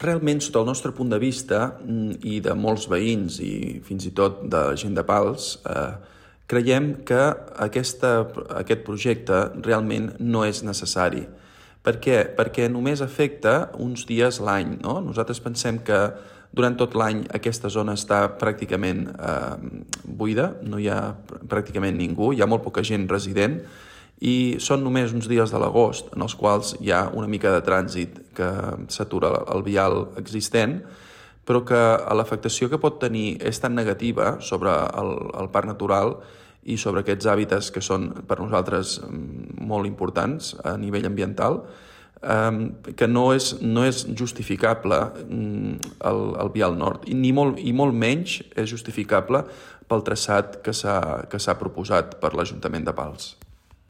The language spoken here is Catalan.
Realment, sota el nostre punt de vista, i de molts veïns i fins i tot de gent de Pals, creiem que aquest projecte realment no és necessari. Per què? Perquè només afecta uns dies l'any, no? Nosaltres pensem que durant tot l'any aquesta zona està pràcticament buida, no hi ha pràcticament ningú, hi ha molt poca gent resident, i són només uns dies de l'agost en els quals hi ha una mica de trànsit que s'atura el vial existent, però que l'afectació que pot tenir és tan negativa sobre el parc natural i sobre aquests hàbitats que són per nosaltres molt importants a nivell ambiental, que no és justificable el vial nord i molt menys és justificable pel traçat que s'ha proposat per l'Ajuntament de Pals.